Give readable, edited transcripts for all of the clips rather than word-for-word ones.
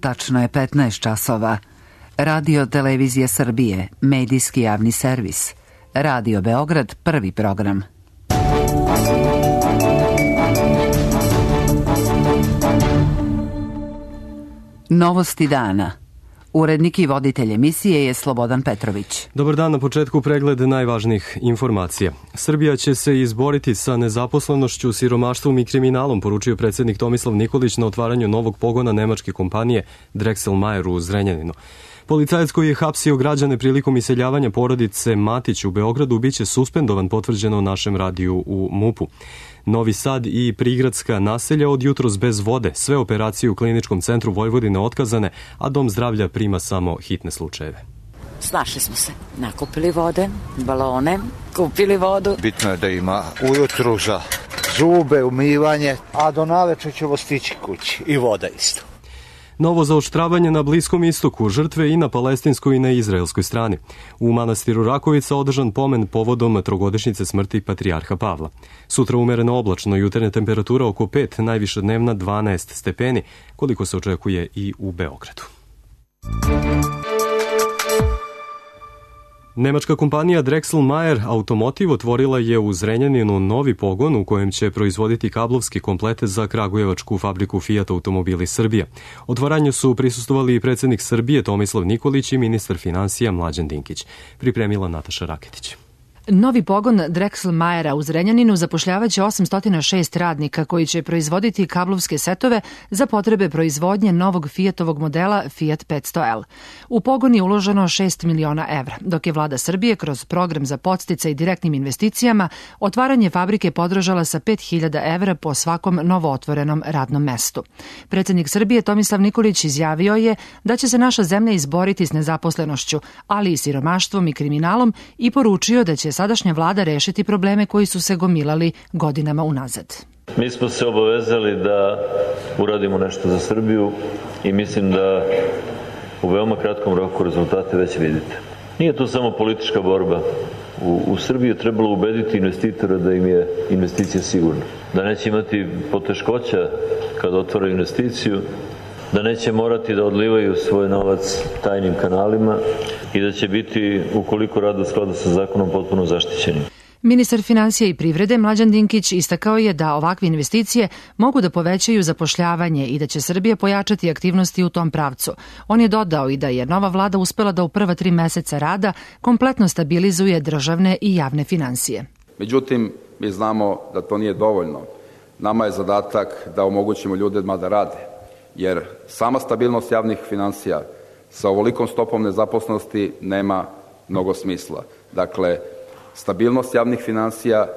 Tačno je 15 časova. Radio Televizija Srbije, medijski javni servis. Radio Beograd, prvi program. Novosti dana. Urednik i voditelj emisije je Slobodan Petrović. Dobar dan, na početku pregled najvažnijih informacija. Srbija će se izboriti sa nezaposlenošću, siromaštvom i kriminalom, poručio predsjednik Tomislav Nikolić na otvaranju novog pogona nemačke kompanije Drexel Mayer u Zrenjaninu. Policajac koji je hapsio građane prilikom iseljavanja porodice Matić u Beogradu biće suspendovan, potvrđeno našem radiju u MUP-u. Novi Sad i prigradska naselja od jutros bez vode, sve operacije u Kliničkom centru Vojvodine otkazane, a Dom zdravlja prima samo hitne slučajeve. Snašli smo se, nakupili vode, balone, kupili vodu. Bitno je da ima ujutru za zube, umivanje, a do navečer ćemo stići kući i voda isto. Novo zaoštravanje na Bliskom istoku, žrtve i na palestinskoj i na izraelskoj strani. U manastiru Rakovica održan pomen povodom trogodišnjice smrti patrijarha Pavla. Sutra umereno oblačno, jutarnja temperatura oko 5, najviša dnevna 12 stepeni, koliko se očekuje i u Beogradu. Nemačka kompanija Drexel Mayer Automotive otvorila je u Zrenjaninu novi pogon u kojem će proizvoditi kablovske komplete za kragujevačku fabriku Fiat Automobili Srbija. Otvaranju su prisustvovali i predsjednik Srbije Tomislav Nikolić i ministar finansija Mlađan Dinkić. Pripremila Nataša Raketić. Novi pogon Drexel Mayera u Zrenjaninu zapošljavaće 806 radnika koji će proizvoditi kablovske setove za potrebe proizvodnje novog Fiatovog modela Fiat 500L. U pogon je uloženo 6 miliona evra, dok je vlada Srbije kroz program za podsticaj direktnim investicijama otvaranje fabrike podržala sa 5.000 evra po svakom novootvorenom radnom mestu. Predsjednik Srbije Tomislav Nikolić izjavio je da će se naša zemlja izboriti s nezaposlenošću, ali i siromaštvom i kriminalom i poručio da će sadašnja vlada rešiti probleme koji su se gomilali godinama unazad. Mi smo se obavezali da uradimo nešto za Srbiju i mislim da u veoma kratkom roku rezultate već vidite. Nije to samo politička borba. U Srbiji je trebalo ubediti investitora da im je investicija sigurna. Da neće imati poteškoća kada otvore investiciju, da neće morati da odlivaju svoj novac tajnim kanalima i da će biti, ukoliko rade u skladu sa zakonom, potpuno zaštićeni. Ministar finansija i privrede Mlađan Dinkić istakao je da ovakve investicije mogu da povećaju zapošljavanje i da će Srbija pojačati aktivnosti u tom pravcu. On je dodao i da je nova vlada uspela da u prva 3 meseca rada kompletno stabilizuje državne i javne finansije. Međutim, mi znamo da to nije dovoljno. Nama je zadatak da omogućimo ljudima da rade, jer sama stabilnost javnih finansija sa ovolikom stopom nezaposlenosti nema mnogo smisla. Dakle, stabilnost javnih finansija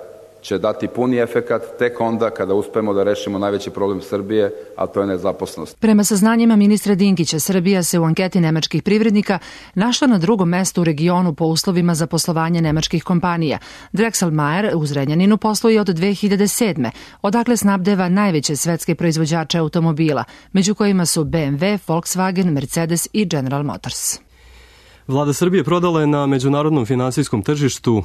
će dati puni efekat tek onda kada uspemo da rešimo najveći problem Srbije, a to je nezaposlenost. Prema saznanjima ministra Dinkića, Srbija se u anketi nemačkih privrednika našla na 2. mestu u regionu po uslovima za poslovanje nemačkih kompanija. Drexel Mayer u Zrenjaninu posluje od 2007. odakle snabdeva najveće svetske proizvođače automobila, među kojima su BMW, Volkswagen, Mercedes i General Motors. Vlada Srbije prodala je na međunarodnom finansijskom tržištu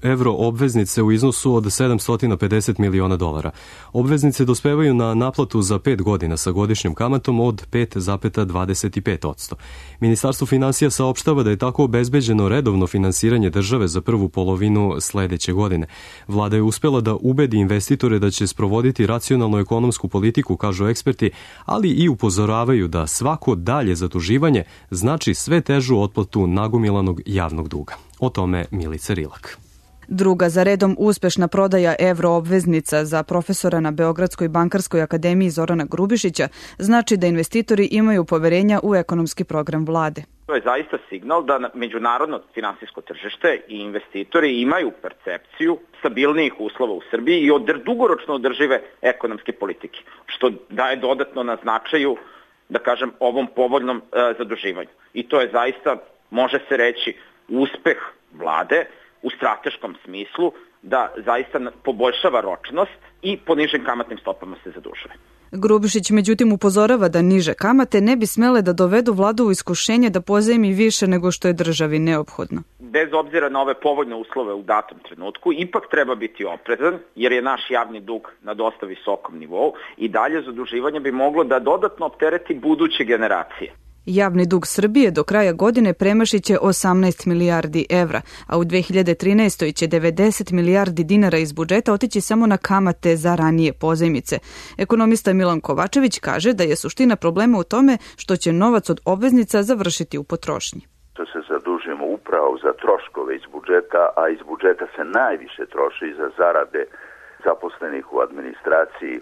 evro obveznice u iznosu od $750 miliona. Obveznice dospevaju na naplatu za 5 godina sa godišnjom kamatom od 5,25%. Ministarstvo finansija saopštava da je tako obezbeđeno redovno finansiranje države za prvu polovinu sledeće godine. Vlada je uspela da ubedi investitore da će sprovoditi racionalnu ekonomsku politiku, kažu eksperti, ali i upozoravaju da svako dalje zaduživanje znači sve težu otplatu nagomilanog javnog duga. O tome Milica Rilak. Druga za redom uspešna prodaja evroobveznica za profesora na Beogradskoj bankarskoj akademiji Zorana Grubišića znači da investitori imaju poverenja u ekonomski program vlade. To je zaista signal da međunarodno finansijsko tržište i investitori imaju percepciju stabilnijih uslova u Srbiji i dugoročno održive ekonomske politike, što daje dodatno na značaju, da kažem, ovom povoljnom zaduživanju. I to je zaista, može se reći, uspeh vlade u strateškom smislu da zaista poboljšava ročnost i po nižim kamatnim stopama se zadužuje. Grubišić međutim upozorava da niže kamate ne bi smele da dovedu vladu u iskušenje da pozajmi više nego što je državi neophodno. Bez obzira na ove povoljne uslove u datom trenutku, ipak treba biti oprezan jer je naš javni dug na dosta visokom nivou i dalje zaduživanje bi moglo da dodatno optereti buduće generacije. Javni dug Srbije do kraja godine premašiće 18 milijardi evra, a u 2013. će 90 milijardi dinara iz budžeta otići samo na kamate za ranije pozajmice. Ekonomista Milan Kovačević kaže da je suština problema u tome što će novac od obveznica završiti u potrošnji. To se zadužujemo upravo za troškove iz budžeta, a iz budžeta se najviše troši za zarade zaposlenih u administraciji.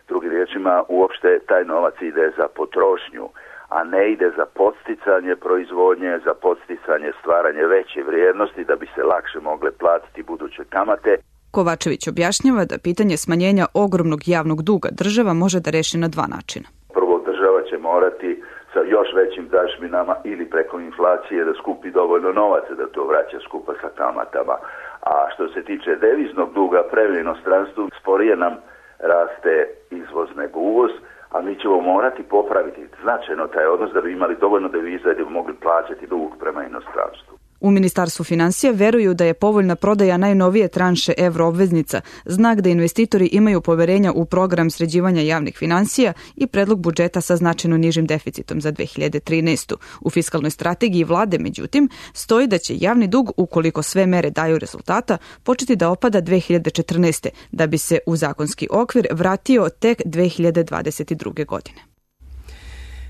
Drugim riječima, uopšte taj novac ide za potrošnju, a ne ide za podsticanje proizvodnje, za podsticanje stvaranje veće vrijednosti da bi se lakše mogle platiti buduće kamate. Kovačević objašnjava da pitanje smanjenja ogromnog javnog duga država može da reši na dva načina. Prvo, država će morati sa još većim dažbinama ili preko inflacije da skupi dovoljno novaca da to vraća skupa sa kamatama. A što se tiče deviznog duga prema inostranstvu, sporije nam raste izvoz nego uvoz, a mi ćemo morati popraviti značajno taj odnos da bi imali dovoljno deviza da bi mogli plaćati dug prema inostranstvu. U Ministarstvu finansija veruju da je povoljna prodaja najnovije tranše evroobveznica znak da investitori imaju poverenja u program sređivanja javnih finansija i predlog budžeta sa značajno nižim deficitom za 2013. U fiskalnoj strategiji vlade, međutim, stoji da će javni dug, ukoliko sve mere daju rezultata, početi da opada 2014. da bi se u zakonski okvir vratio tek 2022. godine.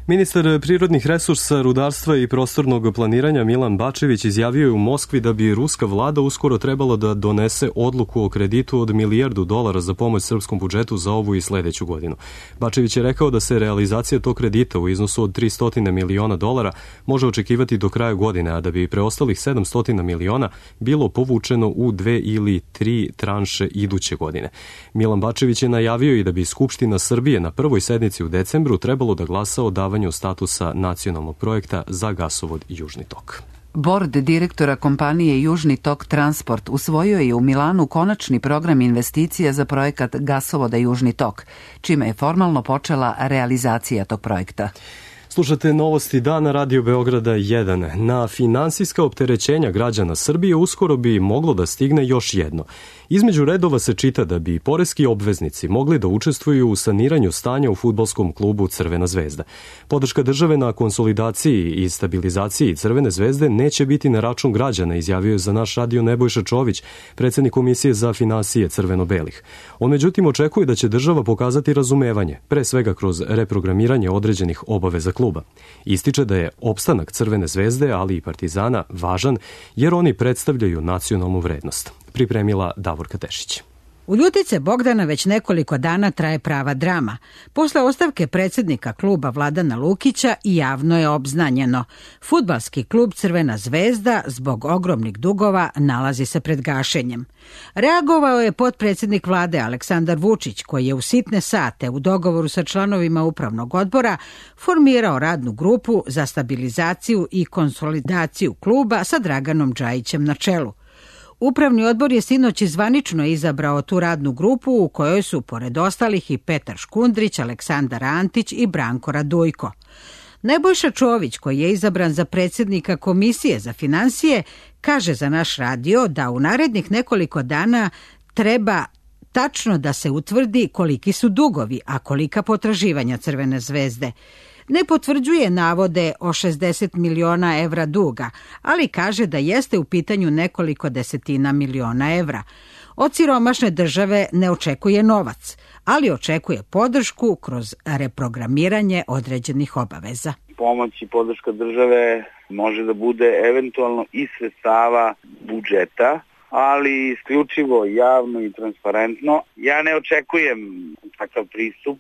Ministar prirodnih resursa, rudarstva i prostornog planiranja Milan Bačević izjavio je u Moskvi da bi ruska vlada uskoro trebala da donese odluku o kreditu od $1 milijardu za pomoć srpskom budžetu za ovu i sledeću godinu. Bačević je rekao da se realizacija tog kredita u iznosu od $300 miliona može očekivati do kraja godine, a da bi preostalih $700 miliona bilo povučeno u 2 ili 3 tranše iduće godine. Milan Bačević je najavio i da bi Skupština Srbije na prvoj sednici u decembru trebalo da glasa o davanju statusa nacionalnog projekta za gasovod Južni tok. Bord direktora kompanije Južni tok Transport usvojio je u Milanu konačni program investicija za projekat gasovoda Južni tok, čime je formalno počela realizacija tog projekta. Slušate novosti dana Radio Beograda 1. Na finansijska opterećenja građana Srbije uskoro bi moglo da stigne još jedno. Između redova se čita da bi poreski obveznici mogli da učestvuju u saniranju stanja u fudbalskom klubu Crvena zvezda. Podrška države na konsolidaciji i stabilizaciji Crvene zvezde neće biti na račun građana, izjavio je za naš radio Nebojša Čović, predsednik Komisije za finansije crveno-belih. On međutim očekuje da će država pokazati razumevanje, pre svega kroz reprogramiranje određenih obaveza kluba. Ističe da je opstanak Crvene zvezde, ali i Partizana, važan jer oni predstavljaju nacionalnu vrednost. Pripremila Davorka Tešić. U Ljutice Bogdana već nekoliko dana traje prava drama. Posle ostavke predsednika kluba Vladana Lukića i javno je obznanjeno. Fudbalski klub Crvena zvezda zbog ogromnih dugova nalazi se pred gašenjem. Reagovao je potpredsednik vlade Aleksandar Vučić, koji je u sitne sate u dogovoru sa članovima upravnog odbora formirao radnu grupu za stabilizaciju i konsolidaciju kluba sa Draganom Džajićem na čelu. Upravni odbor je sinoć zvanično izabrao tu radnu grupu u kojoj su, pored ostalih, i Petar Škundrić, Aleksandar Antić i Branko Radujko. Nebojša Čović, koji je izabran za predsjednika Komisije za finansije, kaže za naš radio da u narednih nekoliko dana treba tačno da se utvrdi koliki su dugovi, a kolika potraživanja Crvene zvezde. Ne potvrđuje navode o 60 miliona evra duga, ali kaže da jeste u pitanju nekoliko desetina miliona evra. Od siromašne države ne očekuje novac, ali očekuje podršku kroz reprogramiranje određenih obaveza. Pomoć i podrška države može da bude eventualno iz sredstava budžeta, ali isključivo javno i transparentno. Ja ne očekujem takav pristup,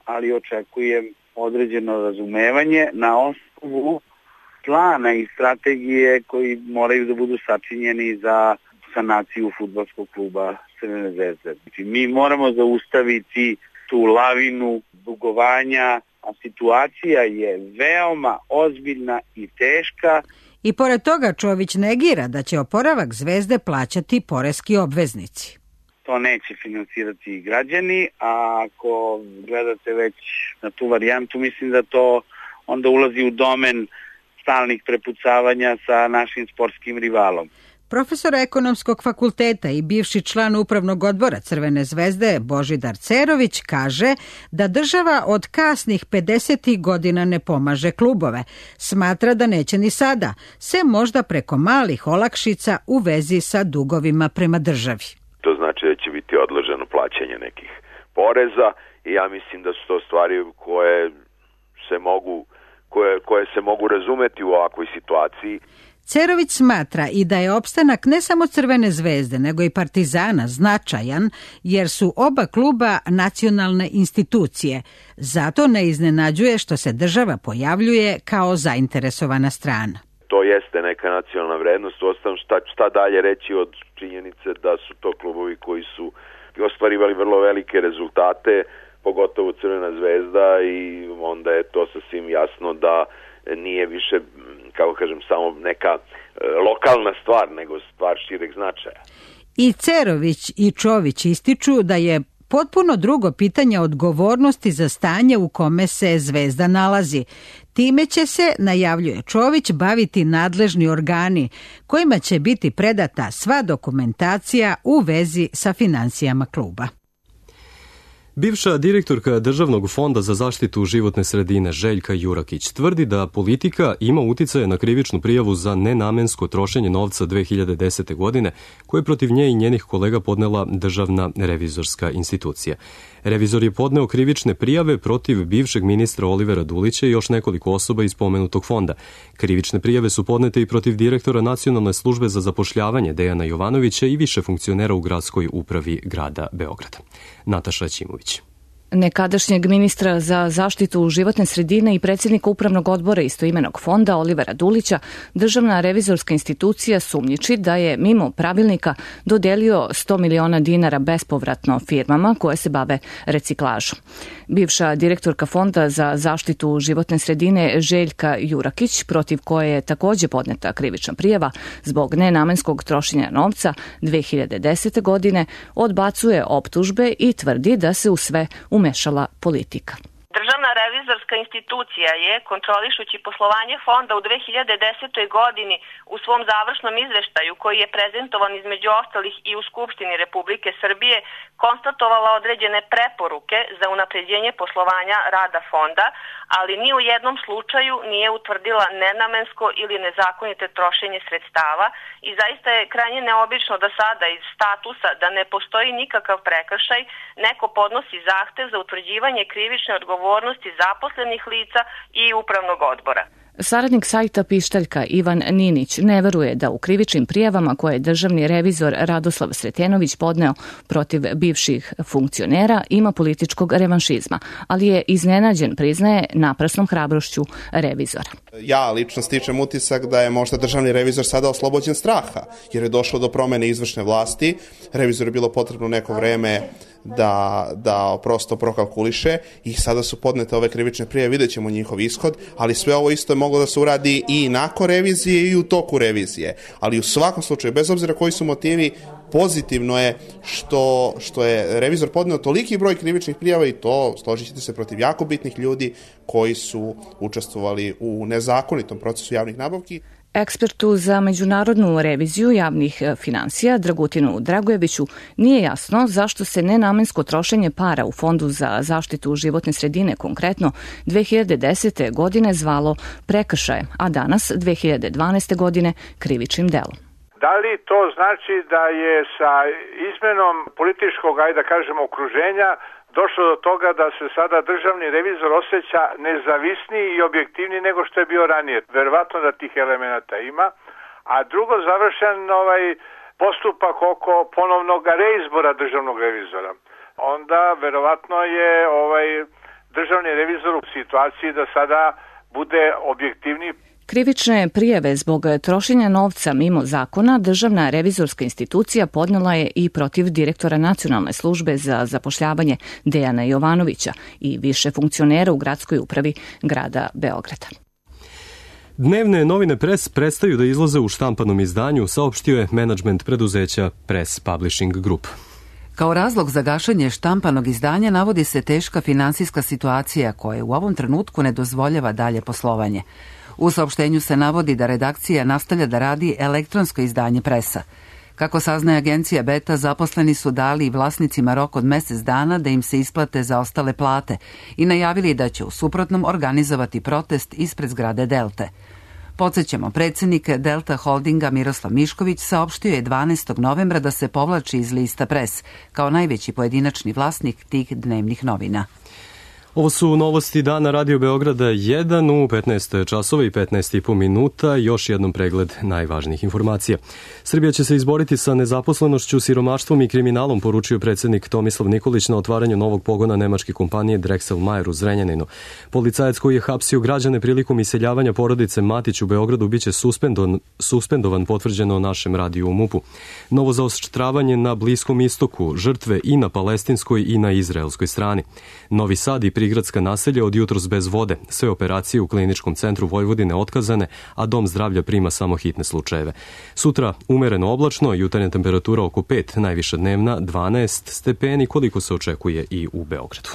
ali očekujem određeno razumevanje na osnovu plana i strategije koji moraju da budu sačinjeni za sanaciju fudbalskog kluba Crvene zvezde. Znači, mi moramo zaustaviti tu lavinu dugovanja, a situacija je veoma ozbiljna i teška. I pored toga Čović negira da će oporavak Zvezde plaćati poreski obveznici. To neće finansirati građani, a ako gledate već na tu varijantu, mislim da to onda ulazi u domen stalnih prepucavanja sa našim sportskim rivalom. Profesor ekonomskog fakulteta i bivši član upravnog odbora Crvene zvezde Božidar Cerović kaže da država od kasnih 50. godina ne pomaže klubove. Smatra da neće ni sada, sem možda preko malih olakšica u vezi sa dugovima prema državi. To znači da će biti odloženo plaćanje nekih poreza i ja mislim da su to stvari koje se mogu razumeti u ovakvoj situaciji. Cerović smatra i da je opstanak ne samo Crvene zvezde, nego i Partizana značajan, jer su oba kluba nacionalne institucije. Zato ne iznenađuje što se država pojavljuje kao zainteresovana strana. To jeste neka nacionalna vrednost, uostalom šta dalje reći od činjenice da su to klubovi koji su ostvarivali vrlo velike rezultate, pogotovo Crvena zvezda, i onda je to sasvim jasno da nije više, kako kažem, samo neka lokalna stvar, nego stvar šireg značaja. I Cerović i Čović ističu da je potpuno drugo pitanje odgovornosti za stanje u kome se Zvezda nalazi. Time će se, najavljuje Čović, baviti nadležni organi, kojima će biti predata sva dokumentacija u vezi sa finansijama kluba. Bivša direktorka Državnog fonda za zaštitu životne sredine Željka Jurakić tvrdi da politika ima uticaje na krivičnu prijavu za nenamensko trošenje novca 2010. godine, koje je protiv nje i njenih kolega podnela Državna revizorska institucija. Revizor je podneo krivične prijave protiv bivšeg ministra Olivera Dulića i još nekoliko osoba iz pomenutog fonda. Krivične prijave su podnete i protiv direktora Nacionalne službe za zapošljavanje Dejana Jovanovića i više funkcionera u gradskoj upravi grada Beograda. Nataša Ćimović. Nekadašnjeg ministra za zaštitu životne sredine i predsjednika upravnog odbora istoimenog fonda Olivera Dulića, Državna revizorska institucija sumnjiči da je mimo pravilnika dodelio 100 miliona dinara bespovratno firmama koje se bave reciklažom. Bivša direktorka Fonda za zaštitu životne sredine Željka Jurakić, protiv koje je takođe podneta krivična prijava zbog nenamenskog trošenja novca 2010. godine, odbacuje optužbe i tvrdi da se u sve umešala politika. Državna revizorska institucija je, kontrolišući poslovanje fonda u 2010. godini, u svom završnom izveštaju, koji je prezentovan između ostalih i u Skupštini Republike Srbije, konstatovala određene preporuke za unapređenje poslovanja rada fonda, ali ni u jednom slučaju nije utvrdila nenamensko ili nezakonite trošenje sredstava i zaista je krajnje neobično da sada iz statusa da ne postoji nikakav prekršaj neko podnosi zahtev za utvrđivanje krivične odgovornosti zaposlenih lica i upravnog odbora. Saradnik sajta Pištaljka Ivan Ninić ne veruje da u krivičnim prijavama koje je državni revizor Radoslav Sretenović podneo protiv bivših funkcionera ima političkog revanšizma, ali je iznenađen, priznaje, naprasnom hrabrošću revizora. Ja lično stičem utisak da je možda državni revizor sada oslobođen straha, jer je došlo do promene izvršne vlasti. Revizoru je bilo potrebno neko vreme da prosto prokalkuliše i sada su podnete ove krivične prijave, vidjet ćemo njihov ishod, ali sve ovo isto je moglo da se uradi i nakon revizije i u toku revizije. Ali u svakom slučaju, bez obzira koji su motivi, pozitivno je što je revizor podneo toliki broj krivičnih prijava i to, složit ćete se, protiv jako bitnih ljudi koji su učestvovali u nezakonitom procesu javnih nabavki. Ekspertu za međunarodnu reviziju javnih finansija Dragutinu Dragojeviću nije jasno zašto se nenamensko trošenje para u Fondu za zaštitu životne sredine konkretno 2010. godine zvalo prekršajem, a danas 2012. godine krivičnim delom. Da li to znači da je sa izmenom političkog, ajde da kažemo, okruženja došlo do toga da se sada državni revizor osjeća nezavisniji i objektivniji nego što je bio ranije? Verovatno da tih elemenata ima. A drugo, završen postupak oko ponovnog reizbora državnog revizora. Onda verovatno je državni revizor u situaciji da sada bude objektivniji. Krivične prijave zbog trošenja novca mimo zakona Državna revizorska institucija podnela je i protiv direktora Nacionalne službe za zapošljavanje Dejana Jovanovića i više funkcionera u gradskoj upravi grada Beograda. Dnevne novine Press prestaju da izlaze u štampanom izdanju, saopštio je menadžment preduzeća Press Publishing Group. Kao razlog za gašenje štampanog izdanja navodi se teška finansijska situacija koja u ovom trenutku ne dozvoljava dalje poslovanje. U saopštenju se navodi da redakcija nastavlja da radi elektronsko izdanje Pressa. Kako saznaje agencija Beta, zaposleni su dali vlasnicima rok od mesec dana da im se isplate zaostale plate i najavili da će u suprotnom organizovati protest ispred zgrade Delte. Podsjećamo, predsjednik Delta Holdinga Miroslav Mišković saopštio je 12. novembra da se povlači iz lista Press kao najveći pojedinačni vlasnik tih dnevnih novina. Ovo su novosti dana Radio Beograda 1 u 15 časova i 15,5 minuta. Još jednom pregled najvažnijih informacija. Srbija će se izboriti sa nezaposlenošću, siromaštvom i kriminalom, poručio predsjednik Tomislav Nikolić na otvaranju novog pogona nemačke kompanije Drexel Mayer u Zrenjaninu. Policajac koji je hapsio građane prilikom iseljavanja porodice Matić u Beogradu biće suspendovan, potvrđeno našem radiju u MUP-u. Novo zaoštravanje na Bliskom istoku, žrtve i na palestinskoj i na izraelskoj strani. Novi Sad i prigradska naselja od jutros bez vode. Sve operacije u Kliničkom centru Vojvodine otkazane, a Dom zdravlja prima samo hitne slučajeve. Sutra umereno oblačno, jutarnja temperatura oko 5, najviša dnevna 12 stepeni, koliko se očekuje i u Beogradu.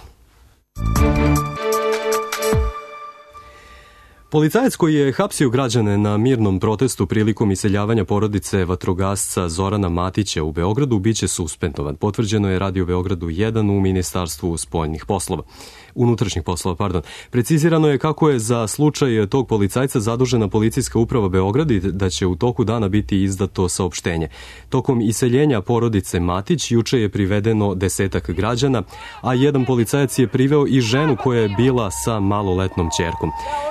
Policajac koji je hapsio građane na mirnom protestu prilikom iseljavanja porodice vatrogasca Zorana Matića u Beogradu biće suspendovan. Potvrđeno je Radio Beogradu 1 u Ministarstvu unutrašnjih poslova. Precizirano je kako je za slučaj tog policajca zadužena Policijska uprava Beograd i da će u toku dana biti izdato saopštenje. Tokom iseljenja porodice Matić juče je privedeno 10 građana, a jedan policajac je priveo i ženu koja je bila sa maloletnom ćerkom.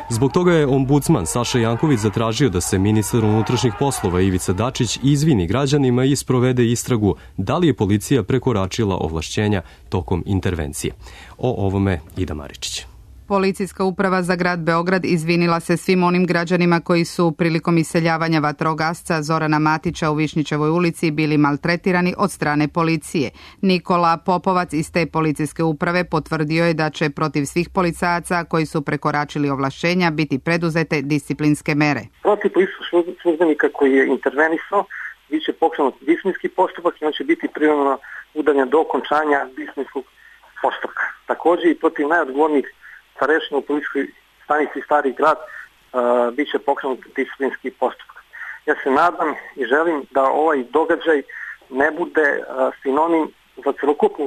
Zbog toga je ombudsman Saša Janković zatražio da se ministar unutrašnjih poslova Ivica Dačić izvini građanima i sprovede istragu da li je policija prekoračila ovlašćenja tokom intervencije. O ovome Ida Maričić. Policijska uprava za grad Beograd izvinila se svim onim građanima koji su prilikom iseljavanja vatrogasca Zorana Matića u Višnjićevoj ulici bili maltretirani od strane policije. Nikola Popovac iz te policijske uprave potvrdio je da će protiv svih policajaca koji su prekoračili ovlašćenja biti preduzete disciplinske mere. Protiv policijskog službenika koji je intervenisao biće pokrenut disciplinski postupak i on će biti privremeno udaljen do okončanja disciplinskog postupka. Također i protiv najodgovornijih starešina u policijskoj stanici Stari grad bit će pokrenut disciplinski postupak. Ja se nadam i želim da ovaj događaj ne bude sinonim za celokupnu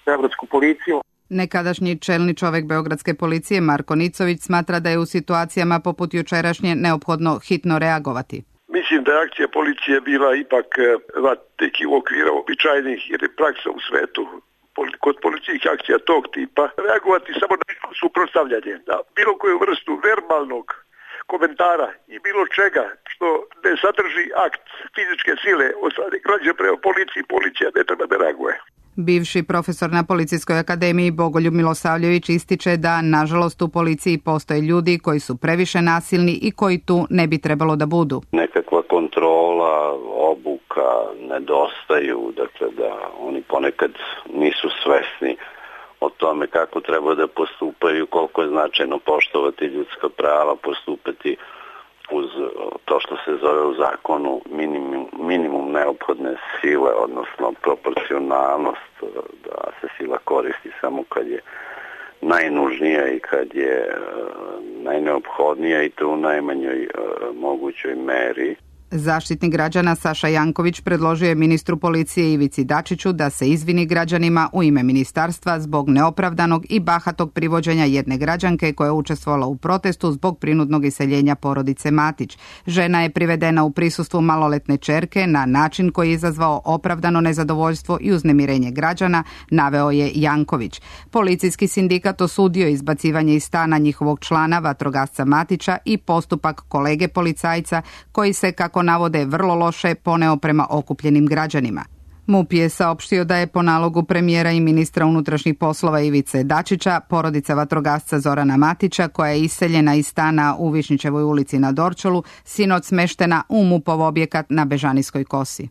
beogradsku policiju. Nekadašnji čelni čovek beogradske policije Marko Nicović smatra da je u situacijama poput jučerašnje neophodno hitno reagovati. Mislim da je akcija policije bila ipak neki u okviru običajnih jer je praksa u svetu kod policijskih akcija tog tipa reagovati samo na suprotstavljanje, na bilo koju vrstu verbalnog komentara i bilo čega što ne sadrži akt fizičke sile od strane građana prema policiji, policija ne treba da reaguje. Bivši profesor na Policijskoj akademiji Bogoljub Milosavljević ističe da, nažalost, u policiji postoje ljudi koji su previše nasilni i koji tu ne bi trebalo da budu. Nekakva kontrola, obuka nedostaju, dakle da oni ponekad nisu svesni o tome kako treba da postupaju, koliko je značajno poštovati ljudska prava, postupati uz to što se zove u zakonu minimum neophodne sile, odnosno proporcionalnost, da se sila koristi samo kad je najnužnija i kad je najneophodnija i to u najmanjoj mogućoj meri. Zaštitnik građana Saša Janković predložio je ministru policije Ivici Dačiću da se izvini građanima u ime ministarstva zbog neopravdanog i bahatog privođenja jedne građanke koja je učestvovala u protestu zbog prinudnog iseljenja porodice Matić. Žena je privedena u prisustvu maloletne ćerke na način koji je izazvao opravdano nezadovoljstvo i uznemirenje građana, naveo je Janković. Policijski sindikat osudio izbacivanje iz stana njihovog člana vatrogasca Matića i postupak kolege policajca koji se, kako navode, vrlo loše poneo prema okupljenim građanima. MUP je saopštio da je po nalogu premijera i ministra unutrašnjih poslova Ivice Dačića porodica vatrogasca Zorana Matića, koja je iseljena iz stana u Višnjićevoj ulici na Dorćolu, sinoć smeštena u MUP-ov objekat na Bežanijskoj kosi.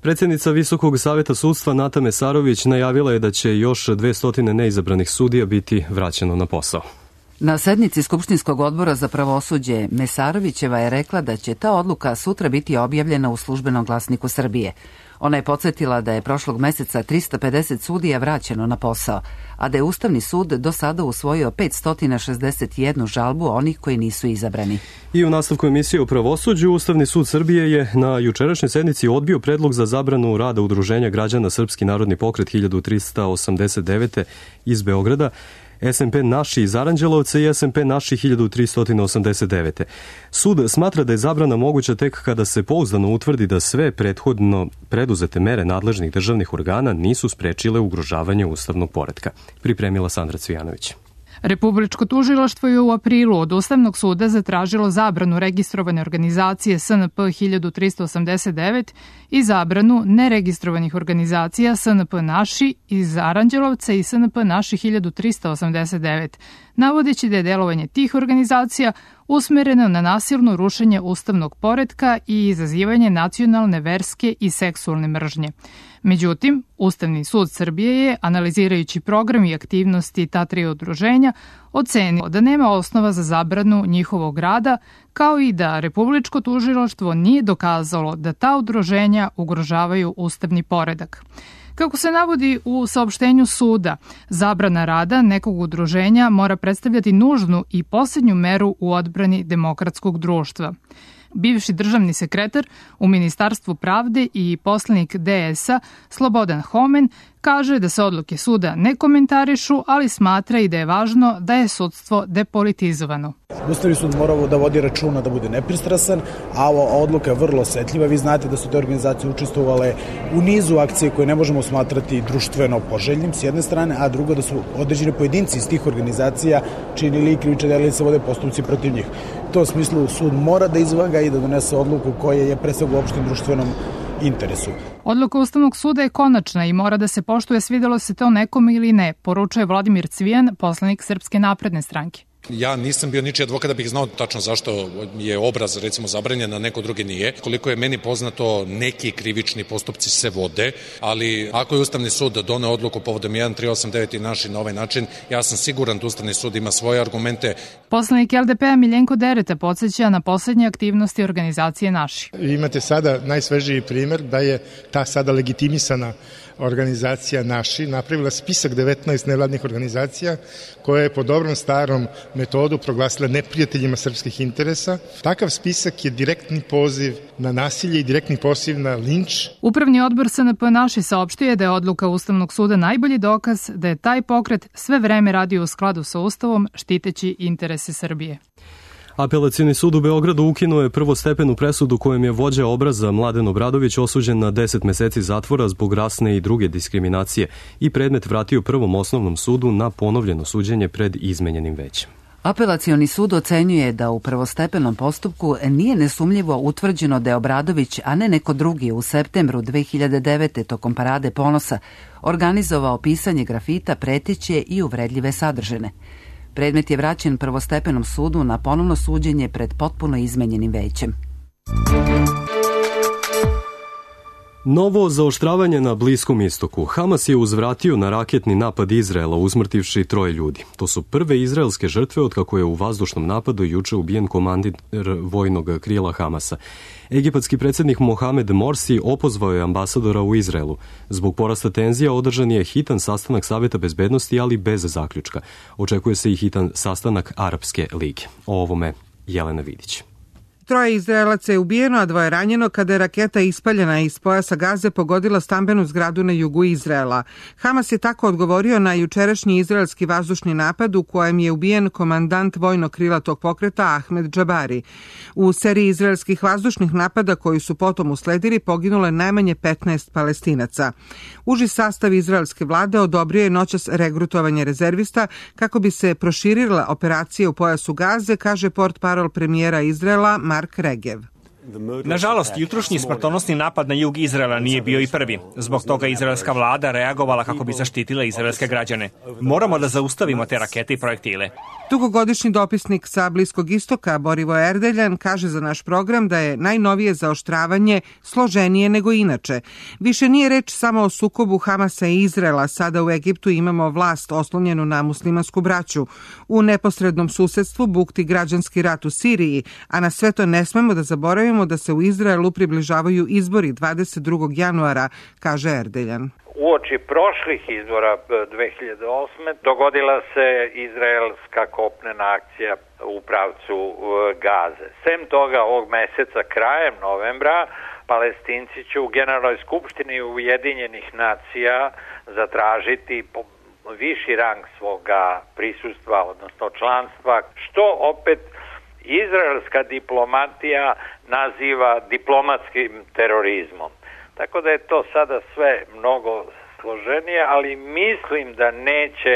Predsjednica Visokog saveta sudstva Nata Mesarović najavila je da će još 200 neizabranih sudija biti vraćeno na posao. Na sednici Skupštinskog odbora za pravosuđe Mesarovićeva je rekla da će ta odluka sutra biti objavljena u Službenom glasniku Srbije. Ona je podsjetila da je prošlog meseca 350 sudija vraćeno na posao, a da je Ustavni sud do sada usvojio 561 žalbu onih koji nisu izabrani. I u nastavku emisije o pravosuđu, Ustavni sud Srbije je na jučerašnjoj sednici odbio predlog za zabranu rada Udruženja građana Srpski narodni pokret 1389 iz Beograda, SMP Naši iz Aranđelovca i SMP Naši 1389. Sud smatra da je zabrana moguća tek kada se pouzdano utvrdi da sve prethodno preduzete mere nadležnih državnih organa nisu sprečile ugrožavanje ustavnog poretka. Pripremila Sandra Cvijanović. Republičko tužilaštvo je u aprilu od Ustavnog suda zatražilo zabranu registrovane organizacije SNP 1389 i zabranu neregistrovanih organizacija SNP Naši iz Aranđelovca i SNP Naši 1389, navodeći da je delovanje tih organizacija usmereno na nasilno rušenje ustavnog poretka i izazivanje nacionalne, verske i seksualne mržnje. Međutim, Ustavni sud Srbije je, analizirajući program i aktivnosti ta tri udruženja, ocenio da nema osnova za zabranu njihovog rada, kao i da Republičko tužilaštvo nije dokazalo da ta udruženja ugrožavaju ustavni poredak. Kako se navodi u saopštenju suda, zabrana rada nekog udruženja mora predstavljati nužnu i poslednju meru u odbrani demokratskog društva. Bivši državni sekretar u Ministarstvu pravde i poslanik DS-a Slobodan Homen kaže da se odluke suda ne komentarišu, ali smatra i da je važno da je sudstvo depolitizovano. Ustavni sud mora da vodi računa da bude nepristrasan, a ova odluka je vrlo osetljiva. Vi znate da su te organizacije učestvovale u nizu akcije koje ne možemo smatrati društveno poželjnim s jedne strane, a drugo da su određeni pojedinci iz tih organizacija činili krivična dela i se vode postupci protiv njih. U tom smislu sud mora da izvaga i da donese odluku koja je pre svega u opštem društvenom interesu. Odluka Ustavnog suda je konačna i mora da se poštuje, svidelo se to nekom ili ne, poručuje Vladimir Cvijan, poslanik Srpske napredne stranke. Ja nisam bio ničiji advokat da bih znao tačno zašto je obraz recimo zabranjen, a neko drugi nije. Koliko je meni poznato, neki krivični postupci se vode, ali ako je Ustavni sud doneo odluku povodom 1389 i Naši na ovaj način, ja sam siguran da Ustavni sud ima svoje argumente. Poslanik LDP-a Miljenko Dereta podsjeća na poslednje aktivnosti organizacije Naši. Imate sada najsvežiji primer da je ta sada legitimisana organizacija Naši napravila spisak 19 nevladnih organizacija koje je po dobrom starom metodu proglasila neprijateljima srpskih interesa. Takav spisak je direktni poziv na nasilje i direktni poziv na linč. Upravni odbor SNP Naši saopštio da je odluka Ustavnog suda najbolji dokaz da je taj pokret sve vreme radio u skladu sa Ustavom, štiteći interese Srbije. Apelacioni sud u Beogradu ukinuo je prvostepenu presudu kojem je vođa obraza Mladen Obradović osuđen na 10 meseci zatvora zbog rasne i druge diskriminacije i predmet vratio Prvom osnovnom sudu na ponovljeno suđenje pred izmenjenim većem. Apelacioni sud ocenjuje da u prvostepenom postupku nije nesumljivo utvrđeno da je Obradović, a ne neko drugi, u septembru 2009. tokom Parade ponosa organizovao pisanje grafita preteće i uvredljive sadržine. Predmet je vraćen prvostepenom sudu na ponovno suđenje pred potpuno izmenjenim većem. Novo zaoštravanje na Bliskom istoku. Hamas je uzvratio na raketni napad Izraela, usmrtivši 3 ljudi. To su prve izraelske žrtve od kako je u vazdušnom napadu juče ubijen komandir vojnog krila Hamasa. Egipatski predsjednik Mohamed Morsi opozvao je ambasadora u Izraelu. Zbog porasta tenzija održan je hitan sastanak Saveta bezbednosti, ali bez zaključka. Očekuje se i hitan sastanak Arapske lige. O ovome Jelena Vidić. 3 Izraelaca je ubijeno, a 2 ranjeno kada je raketa ispaljena iz pojasa Gaze pogodila stambenu zgradu na jugu Izraela. Hamas je tako odgovorio na jučerašnji izraelski vazdušni napad u kojem je ubijen komandant vojnog krila tog pokreta Ahmed Džabari. U seriji izraelskih vazdušnih napada koji su potom usledili poginulo je najmanje 15 Palestinaca. Uži sastav izraelske vlade odobrio je noćas regrutovanje rezervista kako bi se proširila operacija u pojasu Gaze, kaže portparol premijera Izraela Mark Regev. Nažalost, jutrošnji smrtonosni napad na jug Izraela nije bio i prvi. Zbog toga izraelska vlada reagovala kako bi zaštitila izraelske građane. Moramo da zaustavimo te rakete i projektile. Dugogodišnji dopisnik sa Bliskog istoka Borivoje Erdeljan kaže za naš program da je najnovije zaoštravanje složenije nego inače. Više nije reč samo o sukobu Hamasa i Izraela. Sada u Egiptu imamo vlast oslonjenu na muslimansku braću. U neposrednom susedstvu bukti građanski rat u Siriji, a na sve to ne smemo da zaboravimo da se u Izraelu približavaju izbori 22. januara, kaže Erdeljan. Uoči prošlih izbora 2008. dogodila se izraelska kopnena akcija u pravcu Gaze. Sem toga, ovog meseca, krajem novembra, Palestinci će u Generalnoj skupštini Ujedinjenih nacija zatražiti viši rang svoga prisustva, odnosno članstva, što opet izraelska diplomatija naziva diplomatskim terorizmom. Tako da je to sada sve mnogo složenije, ali mislim da neće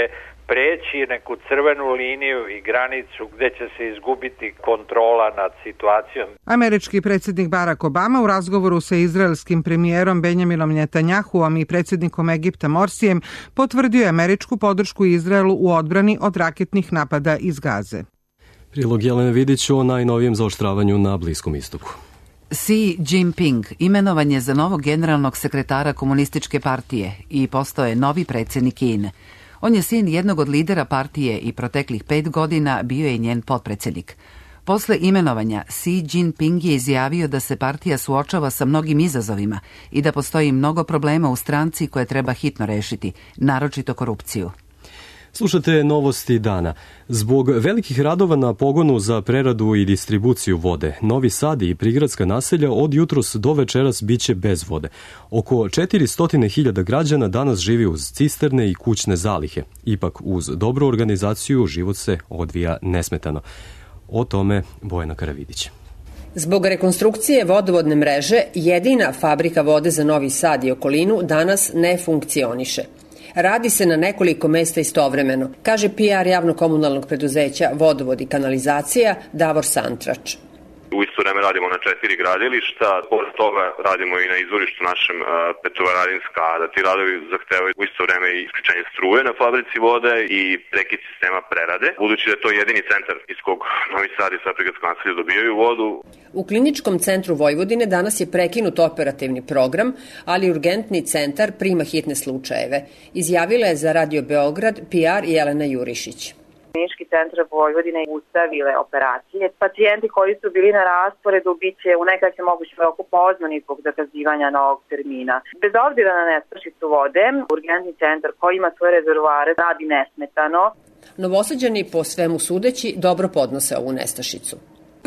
preći neku crvenu liniju i granicu gde će se izgubiti kontrola nad situacijom. Američki predsjednik Barack Obama u razgovoru sa izraelskim premijerom Benjaminom Netanjahuom i predsjednikom Egipta Morsijem potvrdio je američku podršku Izraelu u odbrani od raketnih napada iz Gaze. Prilog Jelene Vidić o najnovijem zaoštravanju na Bliskom istoku. Xi Jinping imenovan je za novog generalnog sekretara komunističke partije i postao je novi predsjednik Kine. On je sin jednog od lidera partije i proteklih 5 godina bio je njen potpredsjednik. Posle imenovanja, Xi Jinping je izjavio da se partija suočava sa mnogim izazovima i da postoji mnogo problema u stranci koje treba hitno rešiti, naročito korupciju. Slušate novosti dana. Zbog velikih radova na pogonu za preradu i distribuciju vode, Novi Sad i prigradska naselja od jutros do večeras biće bez vode. Oko 400.000 građana danas živi uz cisterne i kućne zalihe. Ipak uz dobru organizaciju život se odvija nesmetano. O tome Bojana Karavidić. Zbog rekonstrukcije vodovodne mreže, jedina fabrika vode za Novi Sad i okolinu danas ne funkcioniše. Radi se na nekoliko mesta istovremeno, kaže PR javno-komunalnog preduzeća Vodovod i kanalizacija Davor Santrač. U isto vreme radimo na 4 gradilišta, pored toga radimo i na izvorištu našem Petrovaradinska, da ti radovi zahtevaju u isto vreme i isključenje struje na fabrici vode i prekid sistema prerade, budući da je to jedini centar iz kog Novi Sad i Prigradsko naselje dobijaju vodu. U Kliničkom centru Vojvodine danas je prekinut operativni program, ali urgentni centar prima hitne slučajeve. Izjavila je za Radio Beograd PR Jelena Jurišić. Klinički centar Vojvodine ustavile operacije. Pacijenti koji su bili na rasporedu biće u najkraćem mogućem roku pozvani zbog zakazivanja novog termina. Bez obzira na nestašicu vode, urgentni centar koji ima svoje rezervoare radi nesmetano. Novosađani po svemu sudeći dobro podnose ovu nestašicu.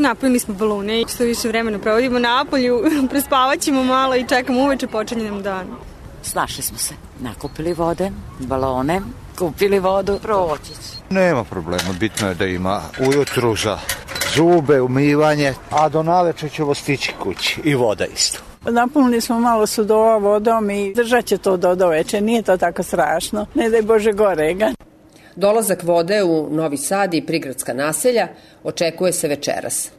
Napunili smo balone, što više vremena provodimo na polju, prespavaćemo malo i čekamo uveče počinje nam dan. Snašli smo se, nakupili vode, balone, kupili vodu, proći. Nema problema, bitno je da ima ujutru za zube, umivanje, a do naleče ćemo stići kući i voda isto. Napunili smo malo sudova vodom i držat će to do veče, nije to tako strašno, ne daj Bože gorega. Dolazak vode u Novi Sad i prigradska naselja očekuje se večeras.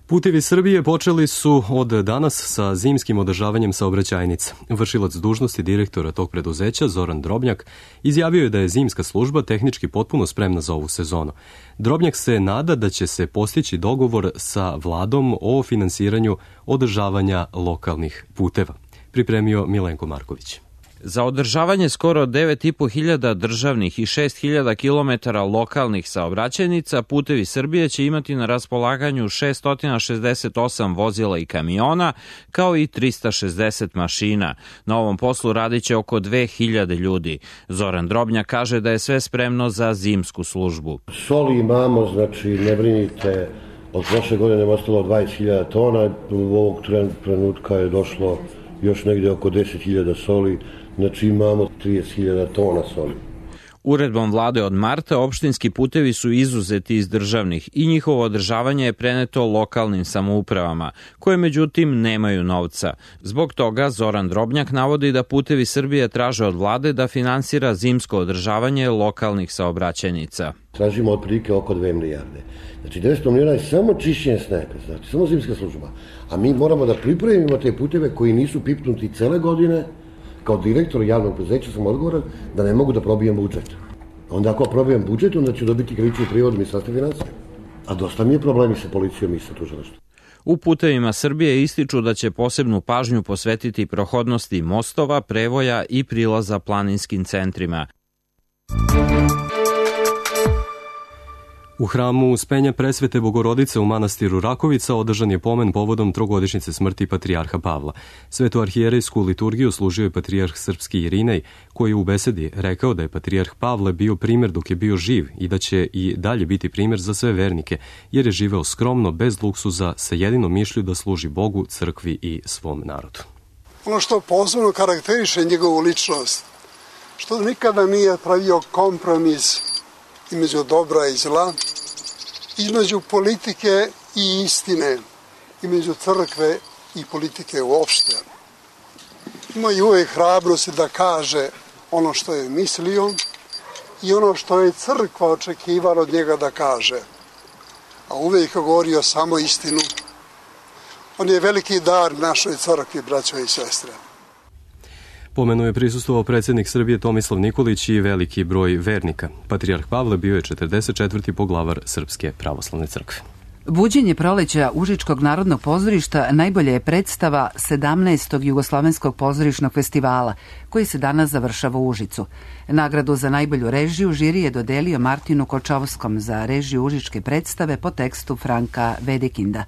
Putevi Srbije počeli su od danas sa zimskim održavanjem saobraćajnica. Vršilac dužnosti direktora tog preduzeća, Zoran Drobnjak, izjavio je da je zimska služba tehnički potpuno spremna za ovu sezonu. Drobnjak se nada da će se postići dogovor sa vladom o finansiranju održavanja lokalnih puteva. Pripremio Milenko Marković. Za održavanje skoro 9.500 državnih i 6.000 km lokalnih saobraćajnica, Putevi Srbije će imati na raspolaganju 668 vozila i kamiona, kao i 360 mašina. Na ovom poslu radit će oko 2.000 ljudi. Zoran Drobnjak kaže da je sve spremno za zimsku službu. Soli imamo, znači ne brinite, od prošle godine je ostalo 20.000 tona, u ovog trenutka je došlo još negdje oko 10.000 soli, znači imamo 30.000 tona soli. Uredbom vlade od marta opštinski putevi su izuzeti iz državnih i njihovo održavanje je preneto lokalnim samoupravama, koje međutim nemaju novca. Zbog toga Zoran Drobnjak navodi da Putevi Srbije traže od vlade da finansira zimsko održavanje lokalnih saobraćajnica. Tražimo otprilike oko 2 milijarde. Znači 900 miliona je samo čišćenje snega, znači samo zimska služba. A mi moramo da pripremimo te puteve koji nisu pipnuti cele godine. Kao direktor javnog preduzeća sam odgovoran da ne mogu da probijem budžet. Onda ako probijem budžet, onda ću dobiti krivični prijevod Ministarstva finansija. A dosta mi je problemi sa policijom i sa tužilaštvom. U Putevima Srbije ističu da će posebnu pažnju posvetiti prohodnosti mostova, prevoja i prilaza planinskim centrima. U hramu Uspenja Presvete Bogorodice u manastiru Rakovica održan je pomen povodom trogodišnjice smrti patrijarha Pavla. Svetoarhijerejsku liturgiju služio je patrijarh srpski Irinej, koji je u besedi rekao da je patrijarh Pavle bio primer dok je bio živ i da će i dalje biti primer za sve vernike, jer je živeo skromno, bez luksuza, sa jedinom mišlju da služi Bogu, crkvi i svom narodu. Ono što posebno karakteriše njegovu ličnost, što nikada nije pravio kompromis između dobra i zla, između politike i istine, između crkve i politike uopšte. Ima i uvek hrabrosti da kaže ono što je mislio i ono što je crkva očekivala od njega da kaže. A uvek je govorio samo istinu. On je veliki dar našoj crkvi, braćo i sestre. Pomenu je prisustvovao predsjednik Srbije Tomislav Nikolić i veliki broj vernika. Patrijarh Pavle bio je 44. poglavar Srpske pravoslavne crkve. Buđenje proleća Užičkog narodnog pozorišta najbolja je predstava 17. Jugoslovenskog pozorišnog festivala, koji se danas završava u Užicu. Nagradu za najbolju režiju žiri je dodelio Martinu Kočovskom za režiju užičke predstave po tekstu Franka Vedekinda.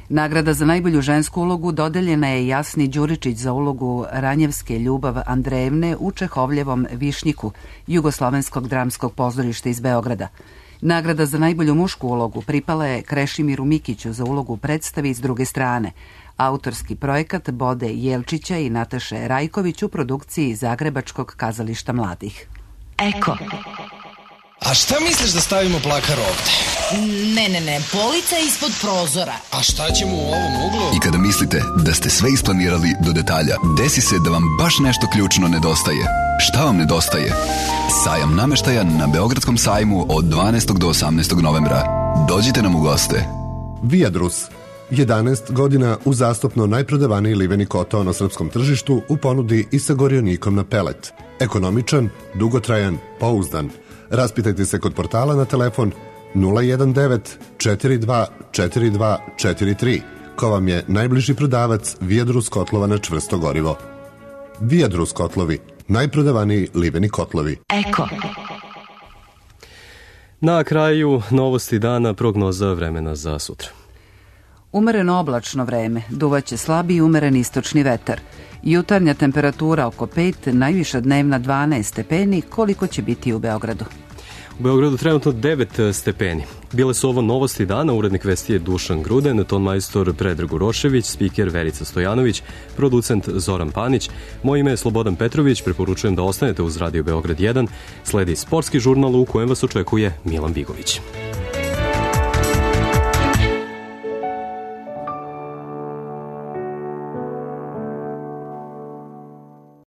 Nagrada za najbolju žensku ulogu dodeljena je Jasni Đuričić za ulogu Ranjevske Ljubav Andrejevne u Čehovljevom Višnjiku, Jugoslovenskog dramskog pozorišta iz Beograda. Nagrada za najbolju mušku ulogu pripala je Krešimiru Mikiću za ulogu u predstavi iz druge strane. Autorski projekat Bode Jelčića i Nataše Rajković u produkciji Zagrebačkog kazališta mladih. Eko. A šta misliš da stavimo plakar ovde? Ne, polica je ispod prozora. A šta ćemo u ovom uglu? I kada mislite da ste sve isplanirali do detalja, desi se da vam baš nešto ključno nedostaje. Šta vam nedostaje? Sajam nameštaja na Beogradskom sajmu od 12. do 18. novembra. Dođite nam u goste. Viadrus. 11 godina uzastopno najprodavaniji liveni kotao na srpskom tržištu u ponudi i sa gorionikom na pelet. Ekonomičan, dugotrajan, pouzdan. Raspitajte se kod portala na telefon 019 42 42 43, ko vam je najbliži prodavac Viadrus kotlova na čvrsto gorivo. Viadrus kotlovi, najprodavaniji liveni kotlovi. Eko. Na kraju novosti dana, prognoza vremena za sutra. Umereno oblačno vreme, duvaće slabi i umeren istočni vetar. Jutarnja temperatura oko 5, najviša dnevna 12 stepeni, koliko će biti u Beogradu. U Beogradu trenutno 9 stepeni. Bile su ovo novosti dana, urednik vesti je Dušan Gruden, tonmajstor Predrag Urošević, spiker Verica Stojanović, producent Zoran Panić. Moje ime je Slobodan Petrović, preporučujem da ostanete uz Radio Beograd 1. Sledi sportski žurnal u kojem vas očekuje Milan Bigović.